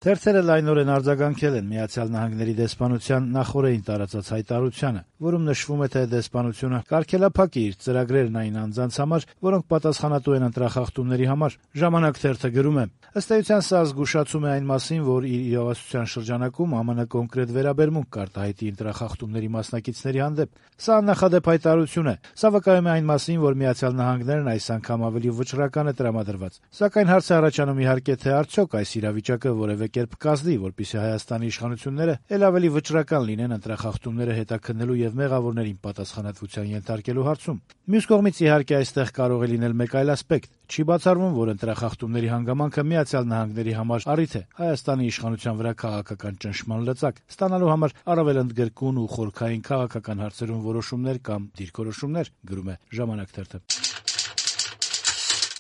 Թերթերը լայնորեն արձագանքել են Միացյալ Նահանգների դեսպանության նախօրեին տարածած հայտարարությանը, որում նշվում է, թե դեսպանությունը կարգելափակ է իր ծրագրերն այն անձանց համար, որոնք պատասխանատու են ընտրախախտումների համար։ «Ժամանակ» թերթը գրում է. ըստ էության սա զգուշացում է այն մասին, որ իր իրողացության շրջանակում ԱՄՆ կոնկրետ վերաբերմունք կարտահայտի ընտրախախտումների մասնակիցների հանդեպ։ Սա աննախադեպ հայտարարություն է։ Սա վկայում է այն մասին, որ Միացյալ Նահանգներն այս անգամ ավելի վճռական է տրամադրված։ Սակայն հարց է առաջանում իհարկե, թե արդյոք այս իրավիճակը որևէ կերպ կազդի, որպեսզի Հայաստանի իշխանությունները ել ավելի վճռական լինեն ընտրախախտումները հետաքննելու եւ մեղավորներին պատասխանատվության ենթարկելու հարցում։ Մյուս կողմից իհարկե այստեղ կարող է լինել մեկ այլ ասպեկտ։ Չի բացառվում, որ ընտրախախտումների հանգամանքը Միացյալ Նահանգների համար առիթ է Հայաստանի իշխանության վրա քաղաքական ճնշման լծակ ստանալու համար առավել ընդգրկուն ու խորքային քաղաքական հարցերում որոշումներ կամ դիրքորոշումներ, գրում է «Ժամանակ» թերթը։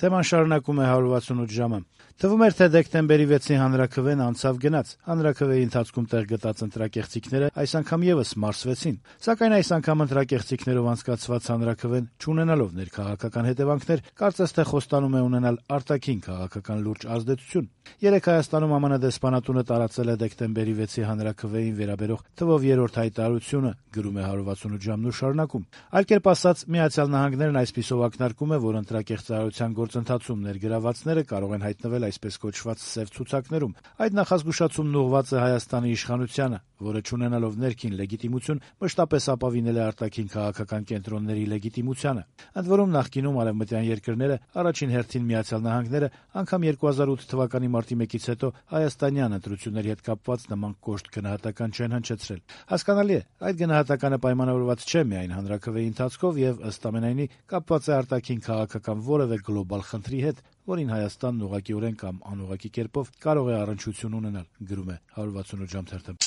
Թեման շարունակում է 168 ժամը։ Թվում էր, թե դեկտեմբերի 6-ի հանրաքվեն անցավ գնաց։ Հանրաքվեի ընթացքում տեղ գտած ընտրակեղծիքները այս անգամ եւս մարսվեցին։ Սակայն այս անգամ ընտրակեղծիքներով անցկացված հանրաքվեն, չունենալով ներքաղաքական հետևանքներ, կարծես թե խոստանում է ունենալ արտաքին քաղաքական լուրջ ազդեցություն։ Երեկ Հայաստանում ԱՄՆ դեսպանատունը տարածել է դեկտեմբերի 6-ի հանրաքվեին վերաբերող թվով երրորդ հայտարարությունը, գրում է 168 ժամն ու շարունակում։ Այլ կերպ ասած, Միացյալ Նահանգներն այսպիսով ակնարկում է, որ ընտրակեղծարարության գործընթացում ներգրավվածները կարող են հայտնվել այսպես կոչված սև ցուցակներում։ Այդ նախազգուշացումն ուղղված է Հայաստանի իշխանությանը, որը չունենալով ներքին լեգիտիմություն մշտապես ապավինել է արտաքին քաղաքական կենտրոնների լեգիտիմությանը։ Ընդ որում նախկինում արևմտյան երկրները, առաջին հերթին Միացյալ Նահանգները, անգամ 2008 թվականի մարտի 1-ից հետո հայաստանյան ընտրությունների հետ կապված նման կոշտ գնահատական չեն հնչեցրել։ Հասկանալի է, այդ գնահատականը պայմանավորված չէ միայն հանրաքվեի ընթացքով եւ ըստ ամենայնի կապված է արտաքին քաղաքական որևէ գլոբալ խնդրի հետ, որին Հայաստանն ուղղակիորեն կամ անուղղակի կերպով կարող է առնչություն ունենալ, գրում է 168 ժամ թերթը։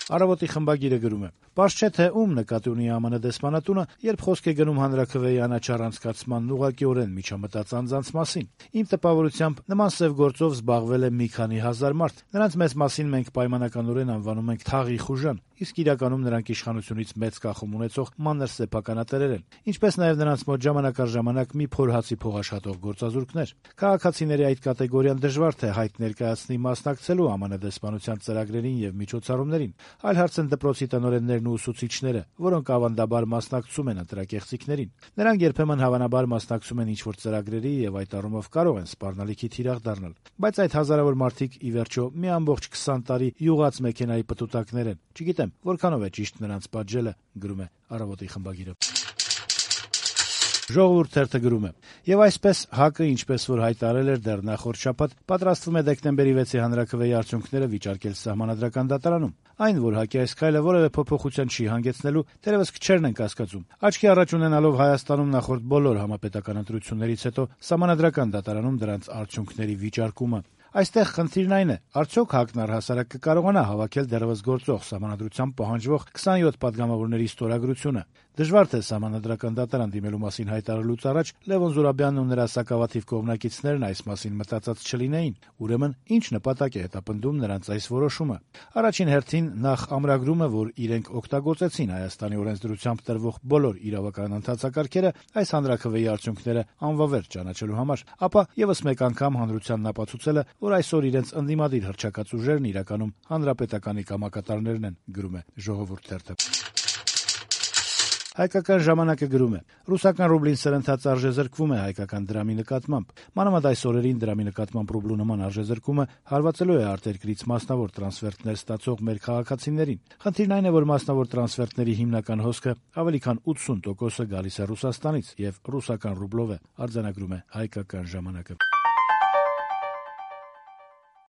Առավոտի խմբագիրը գրում է. «Պարզ չէ, թե ում նկատի ունի ԱՄՆ դեսպանատունը, երբ խոսք է գնում հանրաքվեի անաչառ անցկացմանն ուղղակիորեն միջամտած անձանց մասին։ Իմ տպավորությամբ նման սև գործով զբաղվել է մի քանի հազար մարդ։ Նրանց մեծ մասին մենք պայմանականորեն անվանում ենք թաղի խուժան, իսկ իրականում նրանք իշխանությունից մեծ կախում ունեցող մանր սեփականատերեր են, ինչպես նաև նրանց մոտ ժամանակ առ ժամանակ մի փոր հացի փողաշատող գործազուրկներ։ Քաղաքացիների այդ կատեգորիան դժվար թե հայտ ներկայացնի մասնակցելու ԱՄՆ դեսպանության ծրագրերին եւ միջոցառումներին։ Այլ հարց են դպրոցի տնօրեններն ու ուսուցիչները, որոնք ավանդաբար մասնակցում են ընտրակեղծիքներին։ Նրանք երբեմն հավանաբար մասնակցում են ինչ-որ ծրագրերի եւ այդ առումով կարող են սպառնալիքի թիրախ դառնալ։ Բայց այդ հազարավոր մարդիկ ի վերջո մի ամբողջ 20 տարի յուղած մեքենայի պտուտակներ են։ Չգիտեմ, որքանով է ճիշտ նրանց պատժելը», գրում է Առավոտի խմբագիրը։ Ժողովուրդ թերթը գրում է. «Եվ այսպես ՀԱԿ-ը, ինչպես որ հայտարարել էր դեռ նախորդ շաբաթ, պատրաստվում է դեկտեմբերի 6-ի հանրաքվեի արդյունքները վիճարկել Սահմանադրական դատարանում։ Այն, որ ՀԱԿ-ի այս քայլը որևէ փոփոխության չի հանգեցնելու, թերևս քչերն են կասկածում։ Աչքի առաջ ունենալով Հայաստանում նախորդ բոլոր համապետական ընտրություններից հետո Սահմանադրական դատարանում դրանց արդյունքների վիճարկումը։ Այստեղ խնդիրն այն է, արդյոք ՀԱԿ-ն առհասարակ կկարողանա հավաքել դեռևս գործող Սահմանադրությամբ պահանջվող 27 պատգամավորների ստորագրությունը։ Դժվար թե Սահմանադրական դատարան դիմելու մասին հայտարարելուց առաջ Լևոն Զուրաբյանն ու նրա սակավաթիվ կողմնակիցներն այս մասին մտածած չլինեին։ Ուրեմն ինչ նպատակ է հետապնդում նրանց այս որոշումը։ Առաջին հերթին նախ ամրագրումը, որ իրենք օգտագործեցին Հայաստանի օրենսդրությամբ տրվող բոլոր իրավական ընթացակարգերը այս հանրաքվեի արդյունքները անվավեր ճանաչելու համար, ապա եւս մեկ անգամ հանրությանն ապացուցելը, որ այսօր իրենց ընդդիմադիր հռչակած ուժերն իրականում հանրապետականի կամակատարներն են, գրում է Ժողովուրդ թերթը։ Հայկական ժամանակը գրում է. «Ռուսական ռուբլին սրընթաց արժեզրկվում է հայկական դրամի նկատմամբ։ Մանավանդ այս օրերին դրամի նկատմամբ ռուբլու նման արժեզրկումը հարվածելու է արտերկրից մասնավոր տրանսֆերտներ ստացող մեր քաղաքացիներին։ Խնդիրն այն է, որ մասնավոր տրանսֆերտների հիմնական հոսքը ավելի քան 80%-ը գալիս է Ռուսաստանից եւ ռուսական ռուբլով է», արձանագրում է Հայկական ժամանակը։